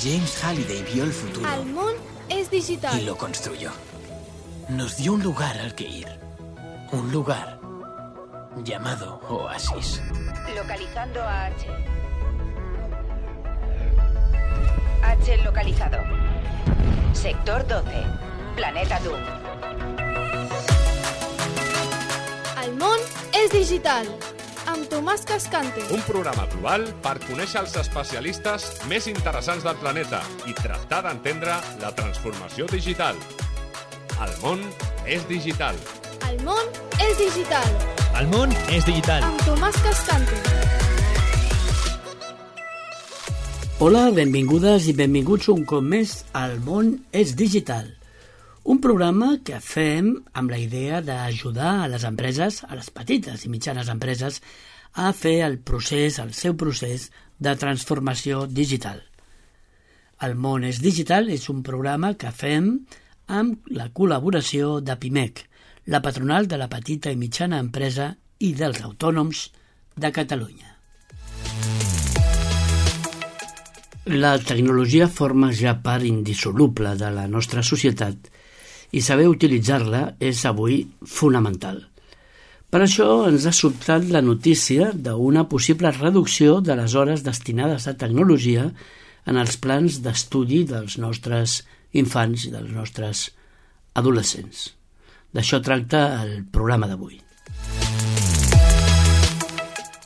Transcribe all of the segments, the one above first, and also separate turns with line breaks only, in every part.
James Halliday vio el futuro.
El món es digital.
Y lo construyó. Nos dio un lugar al que ir. Un lugar llamado Oasis.
Localizando a H. H localizado. Sector 12. Planeta Doom.
El món és digital. Amb Tomàs Cascante.
Un programa global per conèixer els especialistes més interessants del planeta i tractar d'entendre la transformació digital. El món és digital.
El món és digital.
El món és digital.
Amb Tomàs Cascante.
Hola, benvingudes i benvinguts un cop més al món és digital. Un programa que fem amb la idea d'ajudar a les empreses, a les petites i mitjanes empreses, a fer el seu procés de transformació digital. El món és digital és un programa que fem amb la col·laboració de PIMEC, la patronal de la petita i mitjana empresa i dels autònoms de Catalunya. La tecnologia forma ja part indissoluble de la nostra societat i saber utilitzar-la és avui fonamental. Per això ens ha sobtat la notícia d'una possible reducció de les hores destinades a tecnologia en els plans d'estudi dels nostres infants i dels nostres adolescents. D'això tracta el programa d'avui.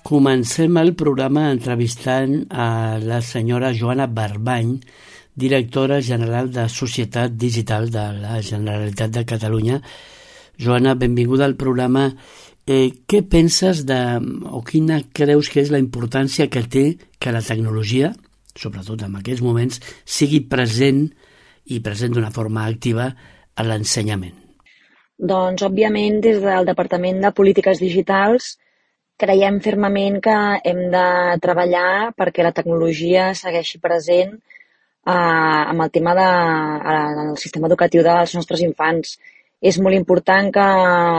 Comencem el programa entrevistant a la senyora Joana Barbany, directora general de Societat Digital de la Generalitat de Catalunya. Joana, benvinguda al programa. Què penses o quina creus que és la importància que té que la tecnologia, sobretot en aquests moments, sigui present i present d'una forma activa a l'ensenyament?
Doncs, òbviament, des del Departament de Polítiques Digitals creiem fermament que hem de treballar perquè la tecnologia segueixi present amb el tema del sistema educatiu dels nostres infants. És molt important que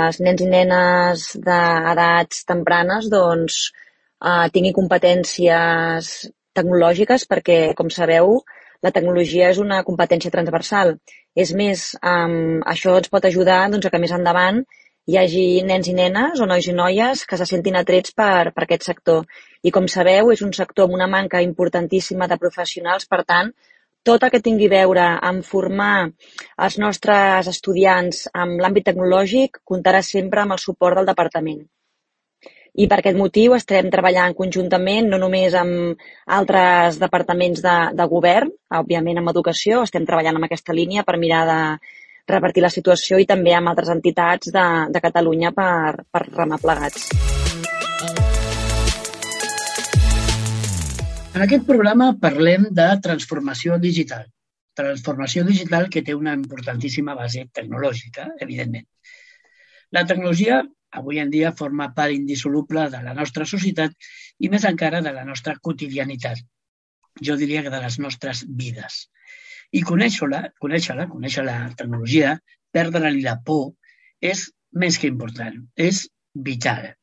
els nens i nenes d'edats tempranes tinguin competències tecnològiques perquè, com sabeu, la tecnologia és una competència transversal. És més, això ens pot ajudar que més endavant hi hagi nens i nenes o nois i noies que se sentin atrets per aquest sector. I, com sabeu, és un sector amb una manca importantíssima de professionals, per tant, tot el que tingui a veure amb formar els nostres estudiants en l'àmbit tecnològic comptarà sempre amb el suport del departament. I per aquest motiu estem treballant conjuntament, no només amb altres departaments de govern, òbviament amb educació, estem treballant en aquesta línia per mirar de revertir la situació i també amb altres entitats de Catalunya per remar plegats.
En aquest programa parlem de transformació digital. Transformació digital que té una importantíssima base tecnològica, evidentment. La tecnologia avui en dia forma part indissoluble de la nostra societat i més encara de la nostra quotidianitat. Jo diria que de les nostres vides. I conèixer la tecnologia, perdre-li la por, és més que important, és vital.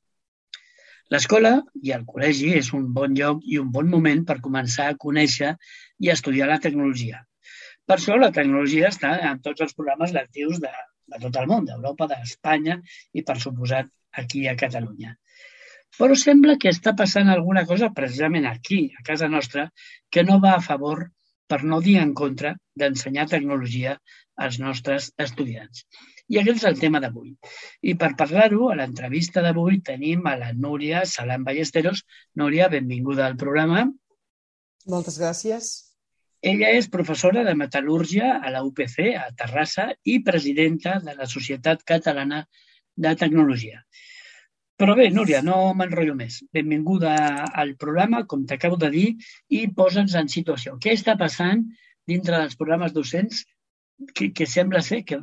L'escola i el col·legi és un bon lloc i un bon moment per començar a conèixer i estudiar la tecnologia. Per això la tecnologia està en tots els programes lectius de tot el món, d'Europa, d'Espanya i, per suposat, aquí a Catalunya. Però sembla que està passant alguna cosa precisament aquí, a casa nostra, que no va a favor, per no dir en contra, d'ensenyar tecnologia als nostres estudiants. I aquest és el tema d'avui. I per parlar-ho, a l'entrevista d'avui tenim a la Núria Salán Ballesteros. Núria, benvinguda al programa.
Moltes gràcies.
Ella és professora de metal·lúrgia a la UPC, a Terrassa, i presidenta de la Societat Catalana de Tecnologia. Però bé, Núria, no m'enrotllo més. Benvinguda al programa, com t'acabo de dir, i posa'ns en situació. Què està passant dintre dels programes docents que sembla ser que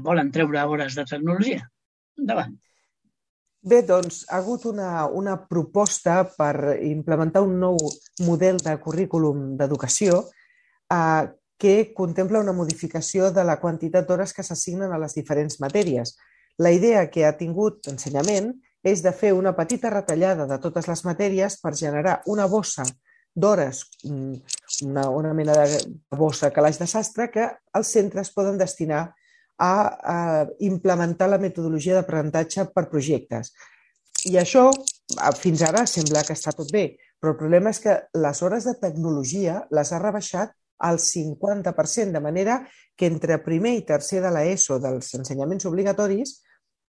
volen treure hores de tecnologia? Endavant.
Bé, doncs, ha hagut una proposta per implementar un nou model de currículum d'educació que contempla una modificació de la quantitat d'hores que s'assignen a les diferents matèries. La idea que ha tingut Ensenyament és de fer una petita retallada de totes les matèries per generar una bossa d'hores, una mena de bossa calaix de sastre que els centres poden destinar a implementar la metodologia d'aprenentatge per projectes. I això, fins ara, sembla que està tot bé, però el problema és que les hores de tecnologia les ha rebaixat al 50%, de manera que entre primer i tercer de l'ESO dels ensenyaments obligatoris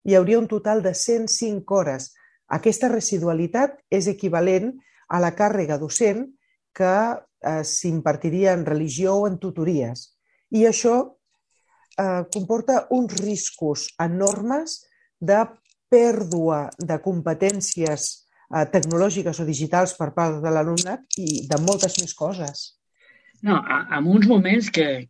hi hauria un total de 105 hores. Aquesta residualitat és equivalent a la càrrega docent que s'impartiria en religió o en tutories. I això comporta uns riscos enormes de pèrdua de competències tecnològiques o digitals per part de l'alumnat i de moltes més coses.
No, en uns moments que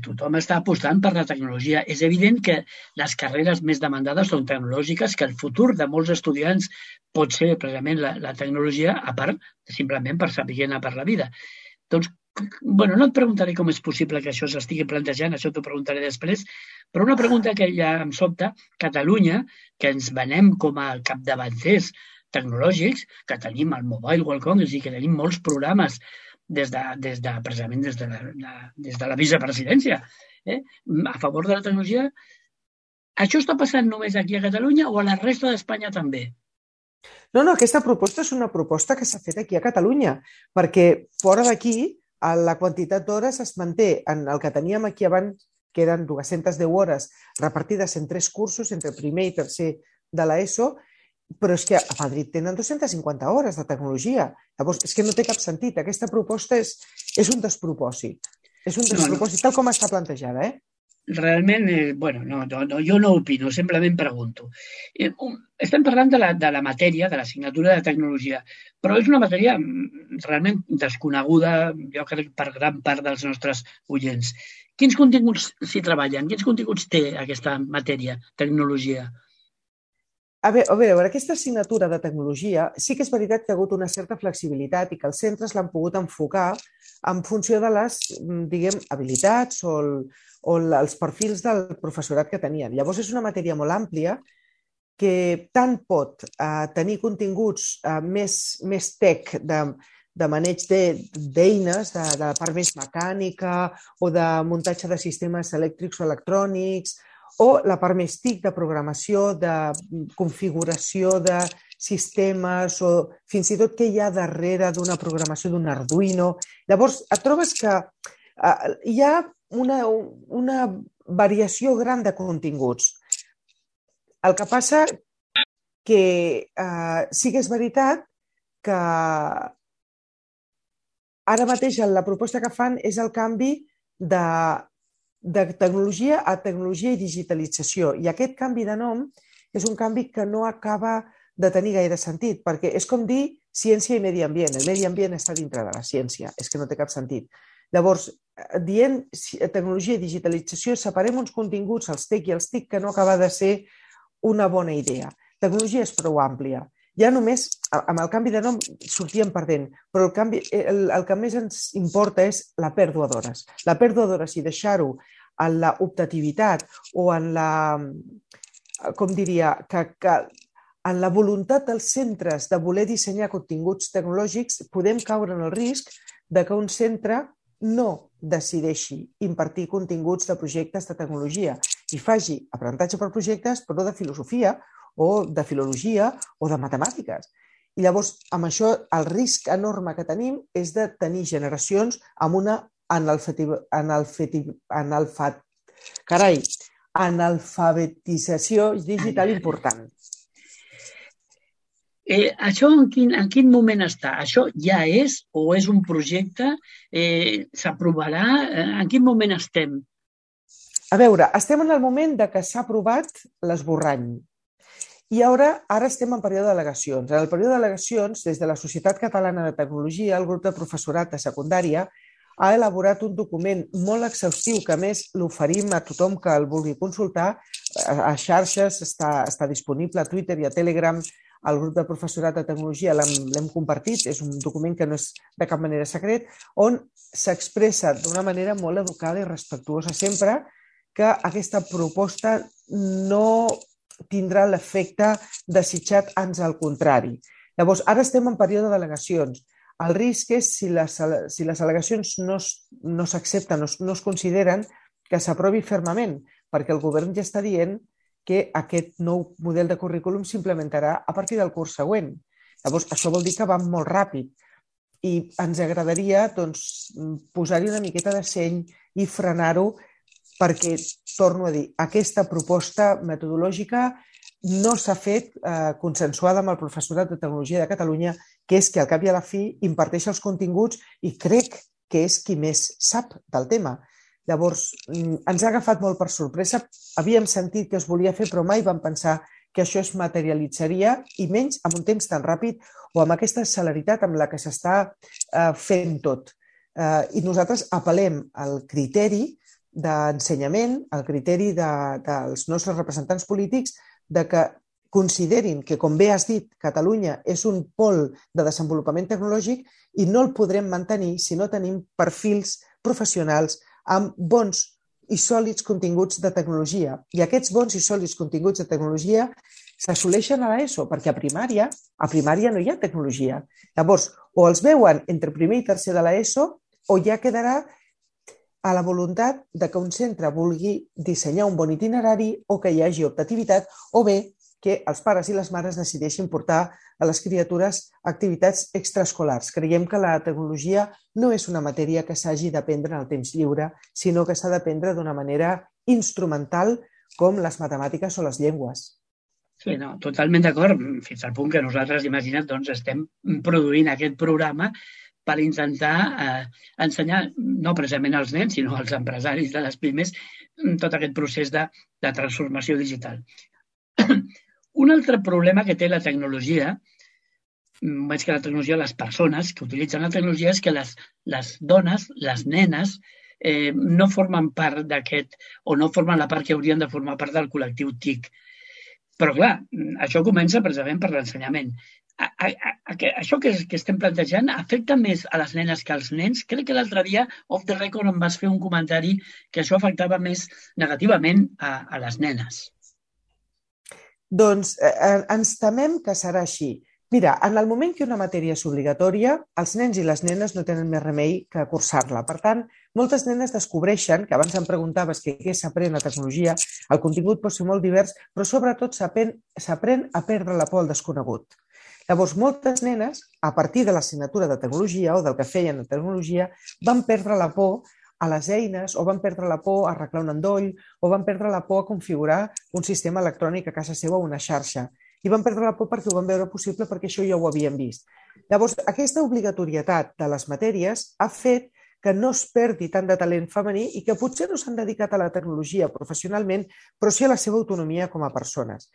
tothom està apostant per la tecnologia. És evident que les carreres més demandades són tecnològiques, que el futur de molts estudiants pot ser precisament la tecnologia, a part simplement per saber anar per la vida. Doncs, bueno, no et preguntaré com és possible que això s'estigui plantejant, això t'ho preguntaré després, però una pregunta que ja em sobta, Catalunya, que ens venem com a capdavanters tecnològics, que tenim el Mobile World Congress i que tenim molts programes precisament des de la vicepresidència, a favor de la tecnologia. Això està passant només aquí a Catalunya o a la resta d'Espanya també?
No, aquesta proposta és una proposta que s'ha fet aquí a Catalunya, perquè fora d'aquí la quantitat d'hores es manté en el que teníem aquí abans, que eren 210 hores repartides en 3 cursos, entre primer i tercer de l'ESO, però és que a Madrid tenen 250 hores de tecnologia. Llavors, és que no té cap sentit. Aquesta proposta és un despropòsit. És un despropòsit, tal com està plantejada,
Realment, jo no opino, simplement pregunto. Estem parlant de la matèria, de l'assignatura de tecnologia, però és una matèria realment desconeguda, jo crec, per gran part dels nostres oients. Quins continguts s'hi treballen? Quins continguts té aquesta matèria, tecnologia?
A veure, aquesta assignatura de tecnologia sí que és veritat que ha hagut una certa flexibilitat i que els centres l'han pogut enfocar en funció de les, habilitats o els perfils del professorat que tenien. Llavors, és una matèria molt àmplia que tant pot tenir continguts més tech de maneig d'eines, de la part més mecànica o de muntatge de sistemes elèctrics o electrònics, o la part més TIC de programació, de configuració de sistemes o fins i tot què hi ha darrere d'una programació d'un Arduino. Llavors, et trobes que hi ha una variació gran de continguts. El que passa que sí que és veritat que ara mateix la proposta que fan és el canvi de tecnologia a tecnologia i digitalització. I aquest canvi de nom és un canvi que no acaba de tenir gaire sentit, perquè és com dir ciència i medi ambient. El medi ambient està dintre de la ciència, és que no té cap sentit. Llavors, dient tecnologia i digitalització, separem uns continguts, els TEC i els TIC, que no acaba de ser una bona idea. Tecnologia és prou àmplia. Ja només, amb el canvi de nom, sortíem perdent, però el que més ens importa és la pèrdua d'hores. La pèrdua d'hores i deixar-ho en la optativitat o en la, com diria, en la voluntat dels centres de voler dissenyar continguts tecnològics, podem caure en el risc de que un centre no decideixi impartir continguts de projectes de tecnologia i faci aprenentatge per projectes, però de filosofia o de filologia o de matemàtiques. I llavors, amb això, el risc enorme que tenim és de tenir generacions amb una analfabetització digital important.
Això en quin moment està? Això ja és o és un projecte? S'aprovarà? En quin moment estem?
A veure, estem en el moment que s'ha aprovat l'esborrany. I ara estem en període d'al·legacions. En el període d'al·legacions, des de la Societat Catalana de Tecnologia, el grup de professorat de secundària ha elaborat un document molt exhaustiu que, a més, l'oferim a tothom que el vulgui consultar. A xarxes està disponible, a Twitter i a Telegram. El grup de professorat de tecnologia l'hem compartit. És un document que no és de cap manera secret, on s'expressa d'una manera molt educada i respectuosa sempre que aquesta proposta no tindrà l'efecte desitjat, ans al contrari. Llavors, ara estem en període d'al·legacions. El risc és si les al·legacions no s'accepten, no es consideren, que s'aprovi fermament, perquè el govern ja està dient que aquest nou model de currículum s'implementarà a partir del curs següent. Llavors, això vol dir que va molt ràpid i ens agradaria posar-hi una miqueta de seny i frenar-ho perquè, torno a dir, aquesta proposta metodològica no s'ha fet consensuada amb el professorat de Tecnologia de Catalunya, que és que al cap i a la fi imparteix els continguts i crec que és qui més sap del tema. Llavors, ens ha agafat molt per sorpresa. Havíem sentit que es volia fer, però mai vam pensar que això es materialitzaria, i menys amb un temps tan ràpid o amb aquesta celeritat amb la que s'està fent tot. I nosaltres apel·lem al criteri d'ensenyament, al criteri dels nostres representants polítics, de que considerin que, com bé has dit, Catalunya és un pol de desenvolupament tecnològic i no el podrem mantenir si no tenim perfils professionals amb bons i sòlids continguts de tecnologia. I aquests bons i sòlids continguts de tecnologia s'assoleixen a l'ESO, perquè a primària no hi ha tecnologia. Llavors, o els veuen entre primer i tercer de l'ESO, o ja quedarà a la voluntat de que un centre vulgui dissenyar un bon itinerari o que hi hagi optativitat, o bé que els pares i les mares decideixin portar a les criatures activitats extraescolars. Creiem que la tecnologia no és una matèria que s'hagi d'aprendre en el temps lliure, sinó que s'ha d'aprendre d'una manera instrumental, com les matemàtiques o les llengües.
Sí, no, totalment d'acord, fins al punt que nosaltres, imagina't, estem produint aquest programa per intentar ensenyar, no precisament als nens, sinó als empresaris de les pimes, tot aquest procés de transformació digital. Un altre problema que té la tecnologia, més que la tecnologia, les persones que utilitzen la tecnologia, és que les dones, les nenes, no formen part d'aquest, o no formen la part que haurien de formar part del col·lectiu TIC. Però, clar, això comença precisament per l'ensenyament. Això que estem plantejant afecta més a les nenes que als nens? Crec que l'altre dia, off the record, em vas fer un comentari que això afectava més negativament a les nenes.
Doncs ens temem que serà així. Mira, en el moment que una matèria és obligatòria, els nens i les nenes no tenen més remei que cursar-la. Per tant, moltes nenes descobreixen, que abans em preguntaves què s'aprèn a tecnologia, el contingut pot ser molt divers, però sobretot s'aprèn a perdre la por al desconegut. Llavors, moltes nenes, a partir de l'assignatura de tecnologia o del que feien de tecnologia, van perdre la por a les eines, o van perdre la por a arreglar un endoll, o van perdre la por a configurar un sistema electrònic a casa seva o una xarxa. I van perdre la por perquè ho van veure possible, perquè això ja ho havien vist. Llavors, aquesta obligatorietat de les matèries ha fet que no es perdi tant de talent femení i que potser no s'han dedicat a la tecnologia professionalment, però sí a la seva autonomia com a persones.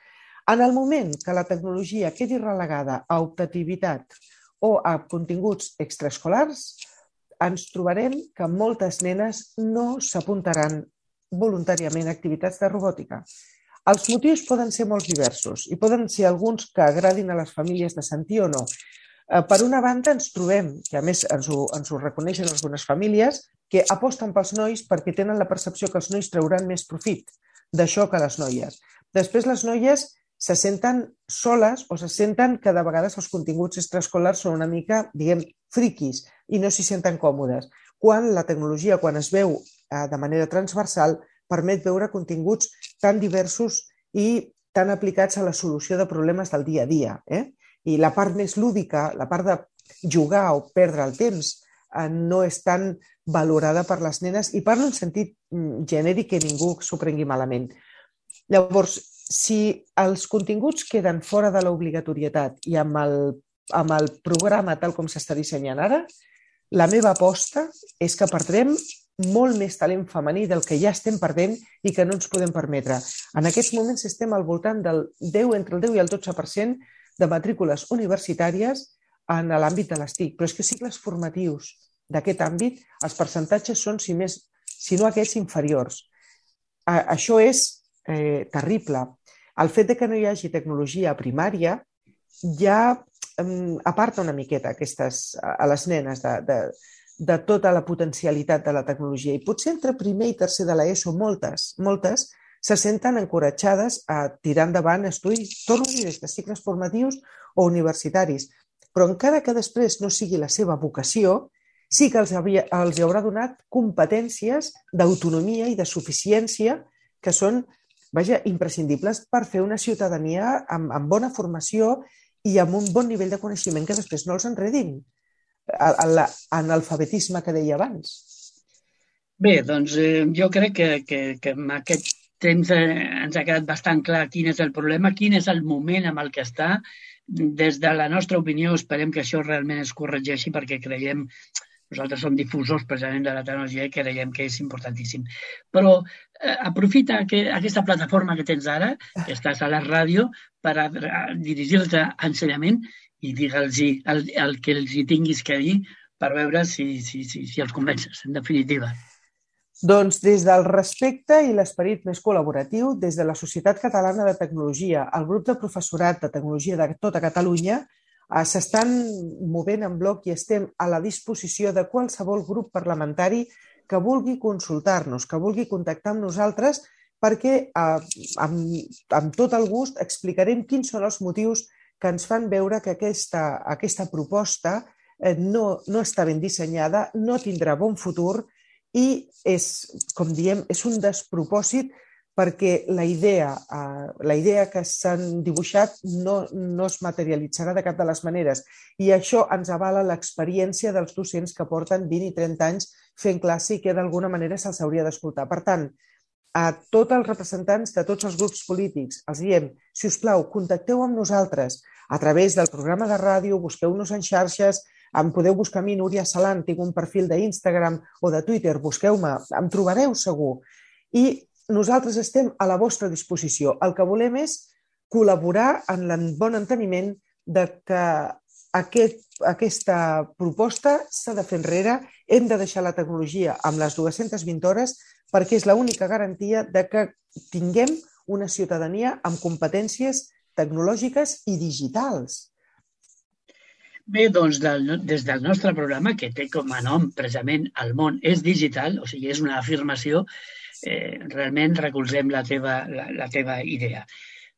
En el moment que la tecnologia quedi relegada a optativitat o a continguts extraescolars, ens trobarem que moltes nenes no s'apuntaran voluntàriament a activitats de robòtica. Els motius poden ser molt diversos i poden ser alguns que agradin a les famílies de sentir o no. Per una banda, ens trobem, que a més ens ho reconeixen algunes famílies, que aposten pels nois perquè tenen la percepció que els nois trauran més profit d'això que les noies. Després, les noies se senten soles o se senten que de vegades els continguts extraescolars són una mica, diguem, friquis i no s'hi senten còmodes. Quan la tecnologia, quan es veu de manera transversal, permet veure continguts tan diversos i tan aplicats a la solució de problemes del dia a dia. I la part més lúdica, la part de jugar o perdre el temps, no és tan valorada per les nenes i parlo en sentit genèric que ningú s'ho prengui malament. Llavors, si els continguts queden fora de l'obligatorietat i amb el programa tal com s'està dissenyant ara, la meva aposta és que perdrem molt més talent femení del que ja estem perdent i que no ens podem permetre. En aquests moments estem al voltant del 10, entre el 10 i el 12% de matrícules universitàries en l'àmbit de les TIC, però és que cicles formatius d'aquest àmbit, els percentatges són, si no aquests, inferiors. Això és terrible. El fet de que no hi hagi tecnologia a primària ja aparta una miqueta a les nenes de tota la potencialitat de la tecnologia. I potser entre primer i tercer de l'ESO moltes se senten encoratjades a tirar endavant estudis, torno a dir, des de cicles formatius o universitaris. però encara que després no sigui la seva vocació, sí que els haurà donat competències d'autonomia i de suficiència que són, imprescindibles per fer una ciutadania amb bona formació i amb un bon nivell de coneixement que després no els enredin l'analfabetisme que deia abans.
Bé, doncs jo crec que amb aquest temps ens ha quedat bastant clar quin és el problema, quin és el moment amb el que està. Des de la nostra opinió esperem que això realment es corregeixi perquè creiem, nosaltres som difusors precisament de la tecnologia i creiem que és importantíssim. Però aprofita aquesta plataforma que tens ara, que estàs a la ràdio, per dirigir-te a ensenyament i digue'ls el que els hi tinguis que dir per veure si els convences, en definitiva.
Doncs des del respecte i l'esperit més col·laboratiu, des de la Societat Catalana de Tecnologia, el grup de professorat de tecnologia de tota Catalunya, s'estan movent en bloc i estem a la disposició de qualsevol grup parlamentari que vulgui consultar-nos, que vulgui contactar amb nosaltres, perquè amb tot el gust explicarem quins són els motius que ens fan veure que aquesta proposta no està ben dissenyada, no tindrà bon futur i és, com diem, és un despropòsit perquè la idea que s'han dibuixat no es materialitzarà de cap de les maneres. I això ens avala l'experiència dels docents que porten 20 i 30 anys fent classe i que d'alguna manera se'ls hauria d'escoltar. Per tant, a tots els representants de tots els grups polítics els diem, si us plau, contacteu amb nosaltres a través del programa de ràdio, busqueu-nos en xarxes, em podeu buscar a mi, Núria Salant, tinc un perfil d'Instagram o de Twitter, busqueu-me, em trobareu segur. I nosaltres estem a la vostra disposició. El que volem és col·laborar en el bon enteniment de que aquesta proposta s'ha de fer enrere, hem de deixar la tecnologia amb les 220 hores perquè és l'única garantia de que tinguem una ciutadania amb competències tecnològiques i digitals.
Bé, doncs des del nostre programa, que té com a nom precisament El món és digital, o sigui, és una afirmació, realment recolzem la teva idea.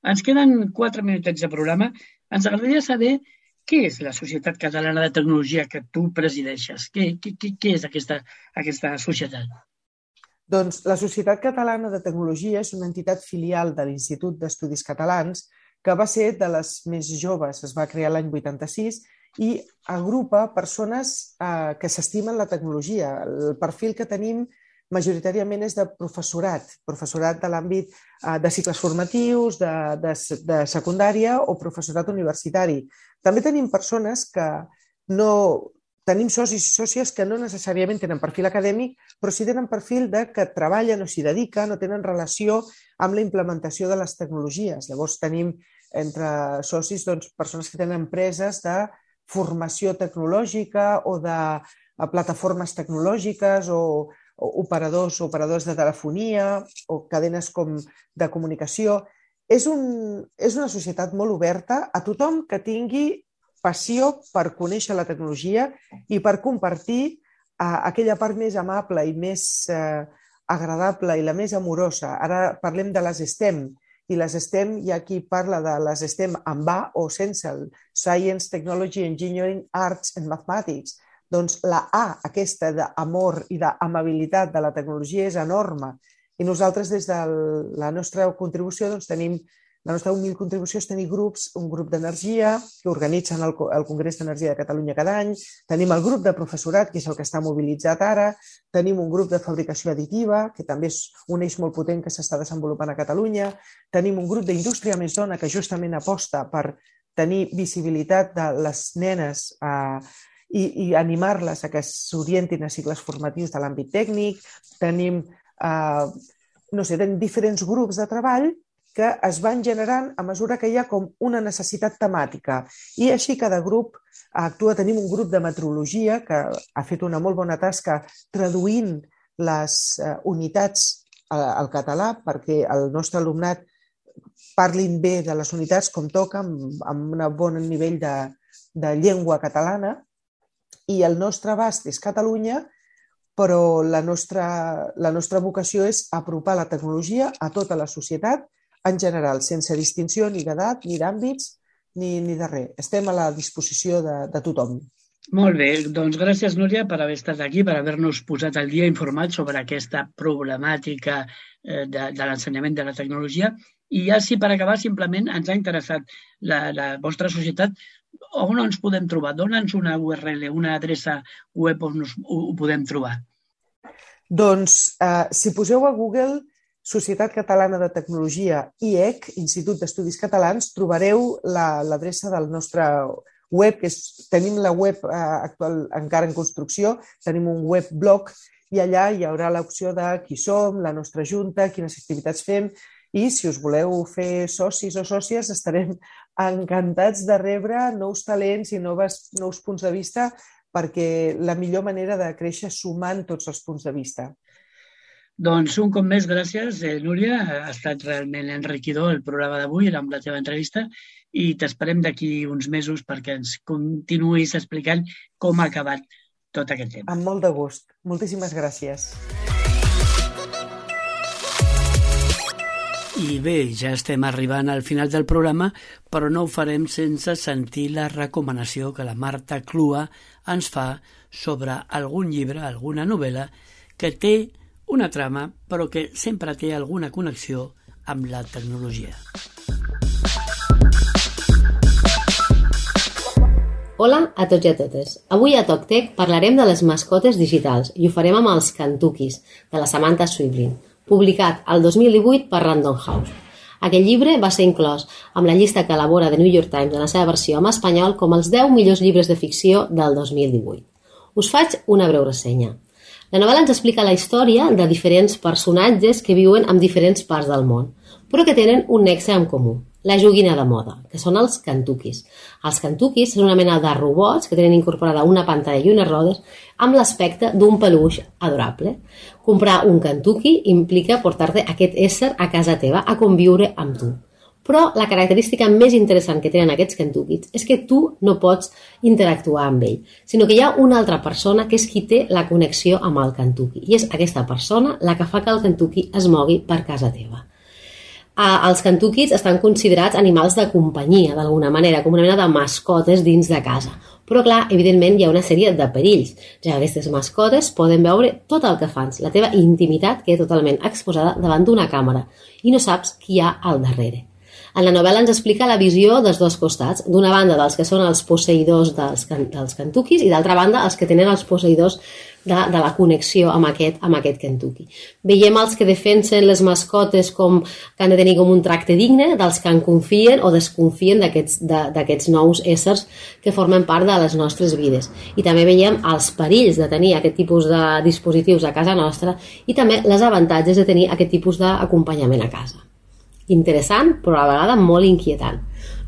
Ens queden 4 minutets de programa. Ens agradaria saber què és la Societat Catalana de Tecnologia que tu presideixes. Què és aquesta societat?
Doncs la Societat Catalana de Tecnologia és una entitat filial de l'Institut d'Estudis Catalans que va ser de les més joves, es va crear l'any 86 i agrupa persones que s'estimen la tecnologia. El perfil que tenim majoritàriament és de professorat de l'àmbit de cicles formatius, de secundària o professorat universitari. També tenim persones que tenim socis i sòcies que no necessàriament tenen perfil acadèmic, però sí tenen perfil de que treballen o s'hi dediquen o tenen relació amb la implementació de les tecnologies. Llavors tenim entre socis persones que tenen empreses de formació tecnològica o de plataformes tecnològiques o operadors de telefonia o cadenes de comunicació. És una societat molt oberta a tothom que tingui passió per conèixer la tecnologia i per compartir aquella part més amable i més agradable i la més amorosa. Ara parlem de les STEM, i les STEM hi ha qui parla de les STEM amb A o sense el Science, Technology, Engineering, Arts and Mathematics. Doncs la A, aquesta d'amor i d'amabilitat de la tecnologia és enorme. I nosaltres des de la nostra contribució tenim la nostra humil contribució és tenir grups, un grup d'energia que organitzen el Congrés d'Energia de Catalunya cada any, tenim el grup de professorat, que és el que està mobilitzat ara, tenim un grup de fabricació additiva, que també és un eix molt potent que s'està desenvolupant a Catalunya, tenim un grup d'indústria més dona que justament aposta per tenir visibilitat de les nenes i animar-les a que s'orientin a cicles formatius de l'àmbit tècnic, tenim diferents grups de treball que es van generant a mesura que hi ha com una necessitat temàtica. I així cada grup actua. Tenim un grup de metrologia que ha fet una molt bona tasca traduint les unitats al català perquè el nostre alumnat parlin bé de les unitats com toca, amb un bon nivell de llengua catalana. I el nostre abast és Catalunya, però la nostra vocació és apropar la tecnologia a tota la societat en general, sense distinció ni d'edat, ni d'àmbits, ni de res. Estem a la disposició de tothom.
Molt bé, doncs gràcies, Núria, per haver estat aquí, per haver-nos posat al dia informat sobre aquesta problemàtica de l'ensenyament de la tecnologia. I ja, sí, per acabar, simplement ens ha interessat la vostra societat. On ens podem trobar? Dóna'ns una URL, una adreça web on ho podem trobar.
Doncs, si poseu a Google Societat Catalana de Tecnologia, IEC, Institut d'Estudis Catalans, trobareu l'adreça del nostre web, tenim la web actual encara en construcció, tenim un webblog i allà hi haurà l'opció de qui som, la nostra junta, quines activitats fem i si us voleu fer socis o sòcies estarem encantats de rebre nous talents i nous punts de vista perquè la millor manera de créixer sumant tots els punts de vista.
Doncs un cop més, gràcies, Núria. Ha estat realment enriquidor el programa d'avui amb la teva entrevista i t'esperem d'aquí uns mesos perquè ens continuïs explicant com ha acabat tot aquest tema.
Amb molt de gust. Moltíssimes gràcies.
I bé, ja estem arribant al final del programa, però no ho farem sense sentir la recomanació que la Marta Clua ens fa sobre algun llibre, alguna novel·la que té una trama, però que sempre té alguna connexió amb la tecnologia.
Hola a tots i a totes. Avui a TocTec parlarem de les mascotes digitals i ho farem amb els Kentuckys, de la Samantha Schweblin, publicat el 2018 per Random House. Aquest llibre va ser inclòs amb la llista que elabora The New York Times en la seva versió en espanyol com els 10 millors llibres de ficció del 2018. Us faig una breu ressenya. La novel·la ens explica la història de diferents personatges que viuen en diferents parts del món, però que tenen un nexe en comú, la joguina de moda, que són els Kentuckys. Els Kentuckys són una mena de robots que tenen incorporada una pantalla i unes rodes amb l'aspecte d'un peluix adorable. Comprar un Kentucky implica portar-te aquest ésser a casa teva a conviure amb tu. Però la característica més interessant que tenen aquests Kentuckys és que tu no pots interactuar amb ell, sinó que hi ha una altra persona que és qui té la connexió amb el Kentucky. I és aquesta persona la que fa que el Kentucky es mogui per casa teva. Els Kentuckys estan considerats animals de companyia, d'alguna manera, com una mena de mascotes dins de casa. Però, clar, evidentment hi ha una sèrie de perills, ja que aquestes mascotes poden veure tot el que fas, la teva intimitat queda totalment exposada davant d'una càmera i no saps qui hi ha al darrere. En la novel·la ens explica la visió dels dos costats, d'una banda dels que són els posseïdors dels Kentuckys i d'altra banda els que tenen els posseïdors de la connexió amb aquest Kentucky. Veiem els que defensen les mascotes com que han de tenir com un tracte digne, dels que en confien o desconfien d'aquests nous éssers que formen part de les nostres vides. I també veiem els perills de tenir aquest tipus de dispositius a casa nostra i també les avantatges de tenir aquest tipus d'acompanyament a casa. Interessant, però a la vegada molt inquietant.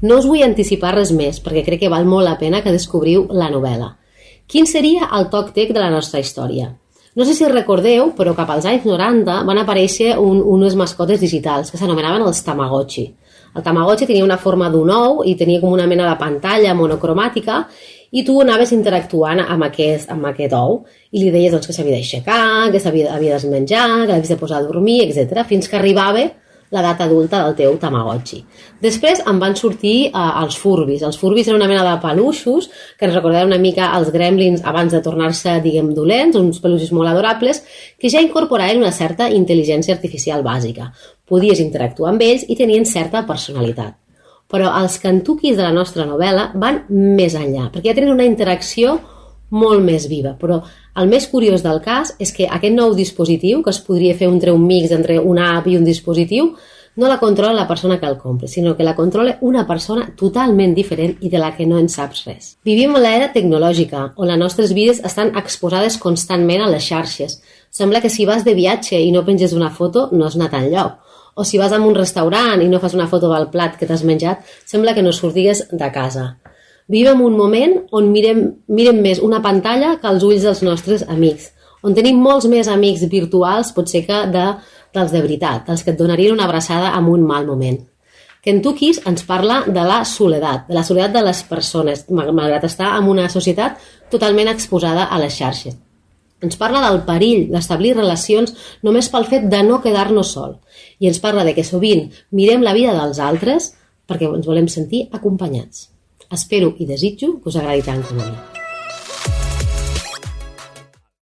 No us vull anticipar res més, perquè crec que val molt la pena que descobriu la novel·la. Quin seria el TocTec de la nostra història? No sé si recordeu, però cap als anys 90 van aparèixer unes mascotes digitals que s'anomenaven els Tamagotchi. El Tamagotchi tenia una forma d'un ou i tenia com una mena de pantalla monocromàtica i tu anaves interactuant amb aquest ou i li deies que s'havia d'aixecar, que s'havia d'esmenjar, que l'havies de posar a dormir, etc. fins que arribava l'edat adulta del teu Tamagotchi. Després en van sortir els Furbies. Els Furbies eren una mena de peluixos que ens recordaven una mica els Gremlins abans de tornar-se, dolents, uns peluixos molt adorables, que ja incorporaven una certa intel·ligència artificial bàsica. Podies interactuar amb ells i tenien certa personalitat. Però els Kentuckys de la nostra novel·la van més enllà, perquè ja tenen una interacció molt més viva, però el més curiós del cas és que aquest nou dispositiu, que es podria fer un mix entre una app i un dispositiu, no la controla la persona que el compra, sinó que la controla una persona totalment diferent i de la que no en saps res. Vivim en l'era tecnològica, on les nostres vides estan exposades constantment a les xarxes. Sembla que si vas de viatge i no penges una foto, no has anat enlloc. O si vas a un restaurant i no fas una foto del plat que t'has menjat, sembla que no sortigues de casa. Vivim un moment on mirem més una pantalla que els ulls dels nostres amics, on tenim molts més amics virtuals, potser que dels de veritat, dels que et donarien una abraçada en un mal moment. Kentuckys ens parla de la soledat de les persones, malgrat estar en una societat totalment exposada a les xarxes. Ens parla del perill d'establir relacions només pel fet de no quedar-nos sol. I ens parla de que sovint mirem la vida dels altres perquè ens volem sentir acompanyats. Espero i desitjo que us agradi tant com a mi.